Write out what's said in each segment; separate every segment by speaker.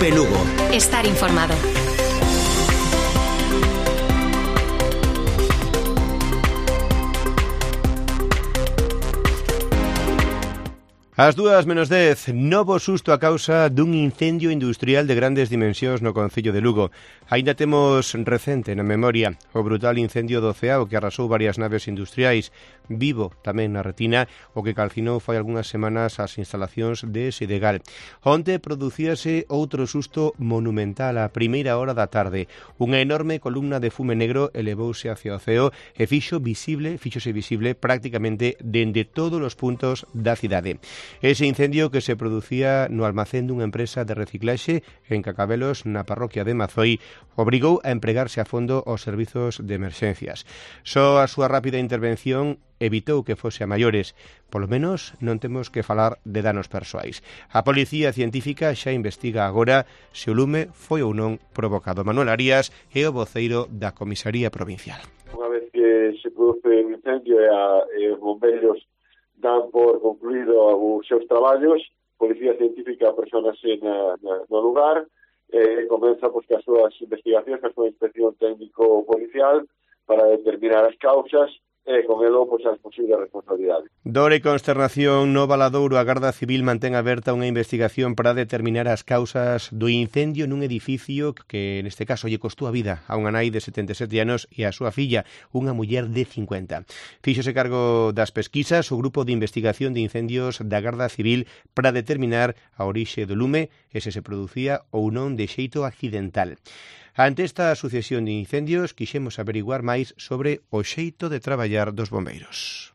Speaker 1: Cope Lugo.
Speaker 2: Estar informado.
Speaker 3: Ás 2:10, novo susto a causa dun incendio industrial de grandes dimensións no concello de Lugo. Aínda temos recente na memoria o brutal incendio do Ceao que arrasou varias naves industriais, vivo tamén na retina o que calcinou fai algunhas semanas as instalacións de Sedegal. Onte producíase outro susto monumental a primeira hora da tarde. Unha enorme columna de fume negro elevouse hacia o ceo e fíxose visible prácticamente dende todos os puntos da cidade. Ese incendio que se producía no almacén dunha empresa de reciclaxe en Cacabelos, na parroquia de Mazoi, obrigou a empregarse a fondo os servizos de emerxencias. Só a súa rápida intervención evitou que fose a maiores. Polo menos non temos que falar de danos persoais. A Policía Científica xa investiga agora se o lume foi ou non provocado. Manuel Arias é o voceiro da Comisaría Provincial.
Speaker 4: Unha vez que se produce un incendio e os bombeiros dan por concluído os seus traballos, a Policía Científica personase no lugar e comeza que as súas investigacións, a súa inspección técnico-policial para determinar as causas e con elo as posibles responsabilidades.
Speaker 3: Dor e consternación no Valadouro. A Garda Civil mantén aberta unha investigación para determinar as causas do incendio nun edificio que neste caso lle costou a vida a unha nai de 77 anos e a súa filla, unha muller de 50. Fíxose cargo das pesquisas o Grupo de Investigación de Incendios da Garda Civil para determinar a orixe do lume e se producía ou non de xeito accidental. Ante esta sucesión de incendios, quixemos averiguar máis sobre o xeito de traballar dos bombeiros.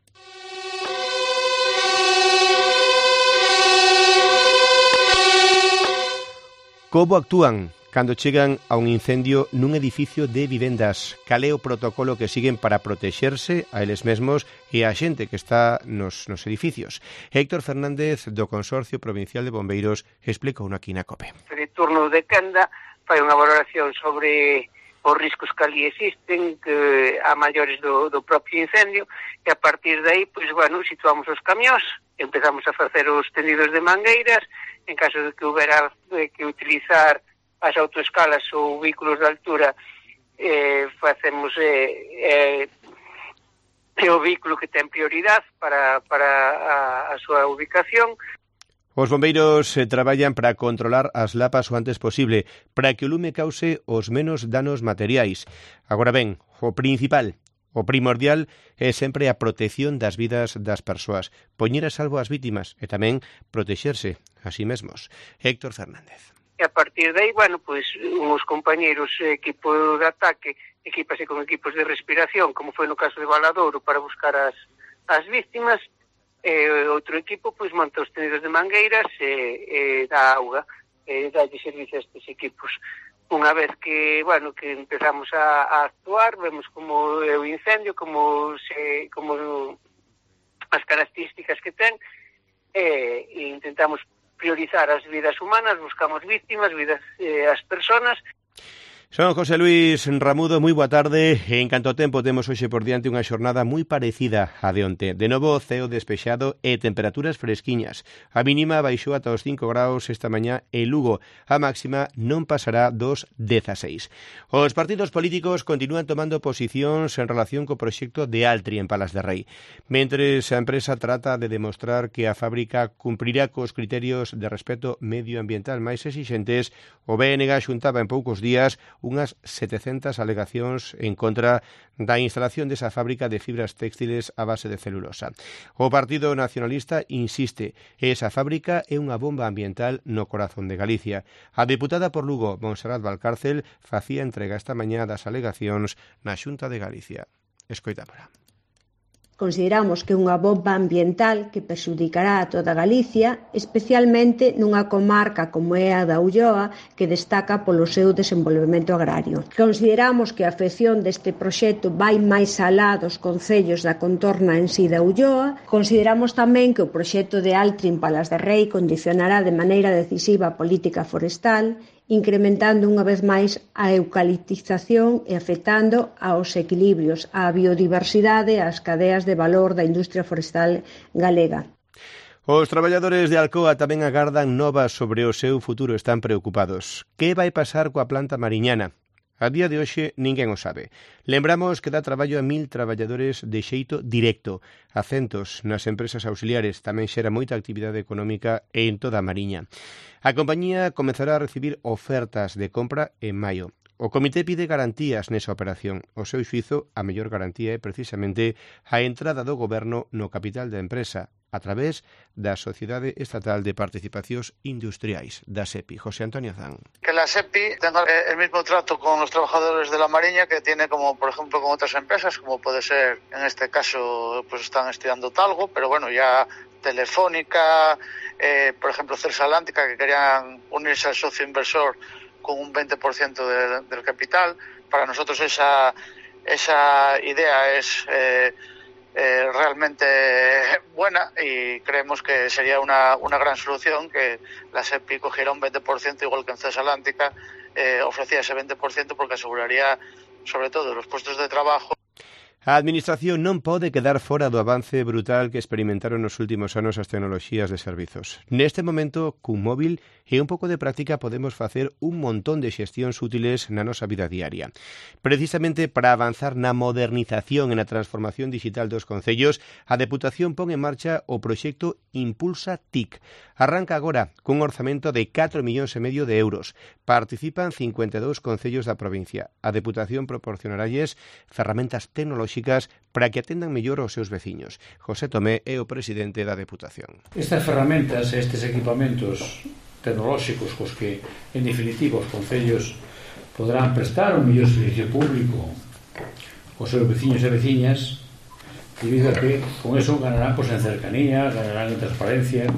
Speaker 3: Como actúan cando chegan a un incendio nun edificio de vivendas? Cal é o protocolo que siguen para protexerse a eles mesmos e a xente que está nos edificios? Héctor Fernández, do Consorcio Provincial de Bombeiros, explicou aquí na COPE.
Speaker 5: De turno de quenda fai unha valoración sobre os riscos que ali existen, que a maiores do propio incendio, e a partir de aí, situamos os camións, empezamos a facer os tendidos de mangueiras, en caso de que houbera que utilizar as autoescalas ou vehículos de altura, facemos o vehículo que ten prioridade para a súa ubicación.
Speaker 3: Os bombeiros traballan para controlar as lapas o antes posible, para que o lume cause os menos danos materiais. Agora ben, o principal, o primordial, é sempre a protección das vidas das persoas, poñer a salvo as vítimas e tamén protexerse a sí mesmos. Héctor Fernández.
Speaker 5: E a partir de aí, uns compañeiros equipo de ataque, equipase con equipos de respiración, como foi no caso de Valadouro, para buscar as vítimas. Outro equipo monta os tendidos de mangueiras e dá auga, dalle servicio a estes equipos. Unha vez que empezamos a actuar, vemos como é o incendio, como as características que ten, e intentamos priorizar as vidas humanas, buscamos vítimas, as persoas.
Speaker 3: Son José Luis Ramudo, moi boa tarde. En canto tempo temos hoxe por diante unha xornada moi parecida a de onte. De novo, ceo despexado e temperaturas fresquiñas. A mínima baixou ata os 5 graus esta mañá en Lugo. A máxima non pasará dos 16. Os partidos políticos continúan tomando posicións en relación co proxecto de Altri en Palas de Rei. Mentres a empresa trata de demostrar que a fábrica cumprirá cos criterios de respeto medioambiental máis exixentes, o BNG xuntaba en poucos días unhas 700 alegacións en contra da instalación desa fábrica de fibras textiles a base de celulosa. O Partido Nacionalista insiste, esa fábrica é unha bomba ambiental no corazón de Galicia. A deputada por Lugo, Montserrat Valcárcel, facía entrega esta mañá das alegacións na Xunta de Galicia. Escoitámola.
Speaker 6: Consideramos que é unha bomba ambiental que perxudicará a toda Galicia, especialmente nunha comarca como é a da Ulloa, que destaca polo seu desenvolvemento agrario. Consideramos que a afección deste proxecto vai máis alá dos concellos da contorna en si da Ulloa. Consideramos tamén que o proxecto de Altri en Palas de Rei condicionará de maneira decisiva a política forestal, incrementando unha vez máis a eucaliptización e afectando aos equilibrios, á biodiversidade e ás cadeas de valor da industria forestal galega.
Speaker 3: Os traballadores de Alcoa tamén agardan novas sobre o seu futuro, están preocupados. Que vai pasar coa planta mariñana? A día de hoxe ninguén o sabe. Lembramos que dá traballo a 1000 traballadores de xeito directo, a centos nas empresas auxiliares, tamén xera moita actividade económica en toda a Mariña. A compañía comezará a recibir ofertas de compra en maio. O comité pide garantías nesa operación. O seu xuízo, a mellor garantía é precisamente a entrada do goberno no capital da empresa, a través da Sociedade Estatal de Participacións Industriais, da SEPI. José Antonio Zan.
Speaker 1: Que la SEPI tenga el mismo trato con los trabajadores de la Mariña que tiene, como por ejemplo, con otras empresas, como puede ser, en este caso, pues están estudiando Talgo, pero bueno, ya Telefónica, por ejemplo, Celsa Atlántica, que querían unirse al socio inversor con un 20% del capital. Para nosotros esa idea es realmente buena y creemos que sería una gran solución que la SEPI cogiera un 20%, igual que en Celsa Atlántica ofrecía ese 20%, porque aseguraría sobre todo los puestos de trabajo.
Speaker 3: A Administración non pode quedar fora do avance brutal que experimentaron nos últimos anos as tecnoloxías de servizos. Neste momento, cun móvil e un pouco de práctica podemos facer un montón de xestións útiles na nosa vida diaria. Precisamente para avanzar na modernización e na transformación digital dos concellos, a Deputación pon en marcha o proxecto Impulsa TIC. Arranca agora cun orzamento de 4,5 millóns de euros. Participan 52 concellos da provincia. A Deputación proporcionaralles ferramentas tecnolóxicas para que atendan mellor aos seus veciños. José Tomé é o presidente da Deputación.
Speaker 2: Estas ferramentas, estes equipamentos tecnolóxicos cos que, en definitiva, os concellos poderán prestar un mellor servicio público aos seus veciños e veciñas, debido a que con eso ganarán en cercanía, ganarán en transparencia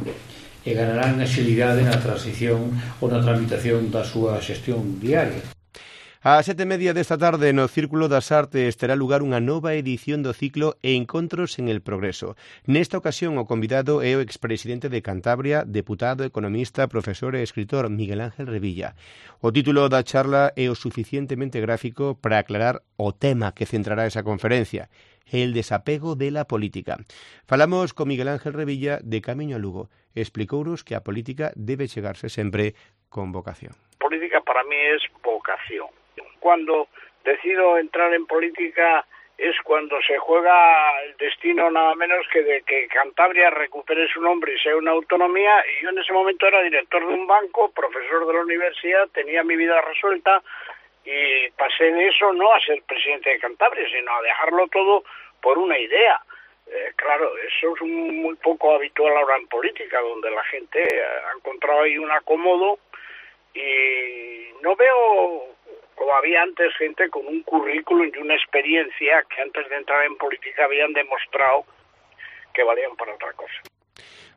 Speaker 2: e ganarán agilidade na transición ou na tramitación da súa xestión diaria.
Speaker 3: A 7:30 desta tarde no Círculo das Artes terá lugar unha nova edición do ciclo Encontros en el Progreso. Nesta ocasión o convidado é o expresidente de Cantabria, deputado, economista, profesor e escritor Miguel Ángel Revilla. O título da charla é o suficientemente gráfico para aclarar o tema que centrará esa conferencia: el desapego de la política. Falamos con Miguel Ángel Revilla de Camiño a Lugo. Explicounos que a política debe chegarse sempre con vocación.
Speaker 7: Política para mí es vocación. Cuando decido entrar en política es cuando se juega el destino nada menos que de que Cantabria recupere su nombre y sea una autonomía, y yo en ese momento era director de un banco, profesor de la universidad, tenía mi vida resuelta y pasé de eso no a ser presidente de Cantabria, sino a dejarlo todo por una idea. Claro, eso es muy poco habitual ahora en política, donde la gente ha encontrado ahí un acomodo, y no veo como había antes gente con un currículum y una experiencia que antes de entrar en política habían demostrado que valían para otra cosa.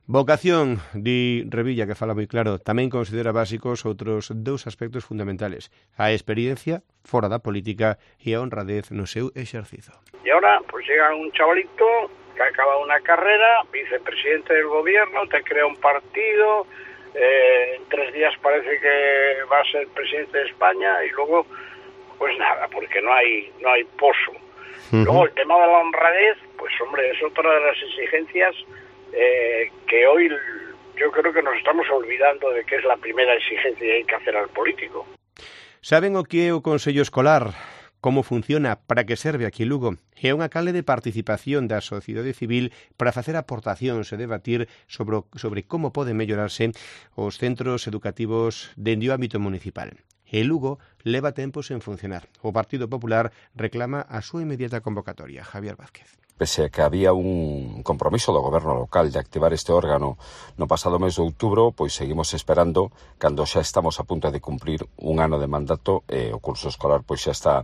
Speaker 3: Vocación, di Revilla, que fala moi claro, tamén considera básicos outros dous aspectos fundamentales: a experiencia fora da política e a honradez no seu exercizo.
Speaker 7: Y ahora pues llega un chavalito que ha acabado una carrera, vicepresidente del gobierno, te crea un partido, en 3 días parece que va a ser presidente de España, y luego pues nada, porque no hay pozo. Luego el tema de la honradez, pues hombre, es otra de las exigencias que hoy yo creo que nos estamos olvidando de que es la primera exigencia que hay que hacer al político.
Speaker 3: Saben o que é o Consello Escolar? Como funciona, para que serve aquí en Lugo? É unha canle de participación da sociedade civil para facer aportacións e debatir sobre como poden mellorarse os centros educativos dende o ámbito municipal. E Lugo leva tempos en funcionar. O Partido Popular reclama a súa inmediata convocatoria. Javier Vázquez.
Speaker 8: Pese a que había un compromiso do goberno local de activar este órgano no pasado mes de outubro, pois seguimos esperando cando xa estamos a punto de cumprir un ano de mandato e o curso escolar pois xa está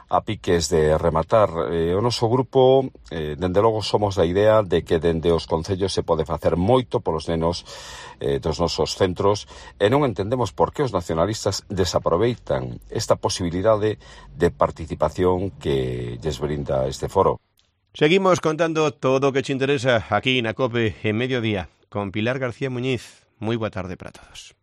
Speaker 8: a piques de rematar. O noso grupo, dende logo, somos da idea de que dende os concellos se pode facer moito polos nenos dos nosos centros, e non entendemos por que os nacionalistas desaproveitan esta posibilidade de participación que lles brinda este foro.
Speaker 3: Seguimos contando todo o que te interesa aquí na COPE en Mediodía con Pilar García Muñiz. Moi boa tarde para todos.